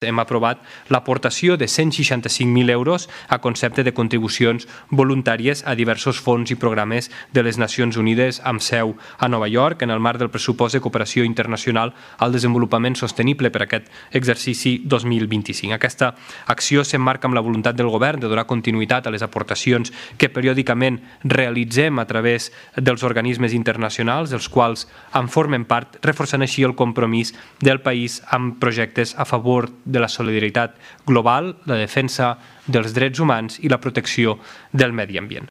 Hem aprovat l'aportació de 165.000 euros a concepte de contribucions voluntàries a diversos fons i programes de les Nacions Unides amb seu a Nova York en el marc del pressupost de cooperació internacional al desenvolupament sostenible per aquest exercici 2025. Aquesta acció s'emmarca amb la voluntat del govern de donar continuïtat a les aportacions que periòdicament realitzem a través dels organismes internacionals, dels quals en formen part, reforçant així el compromís del país amb projectes a favor de la solidaritat global, la defensa dels drets humans i la protecció del medi ambient.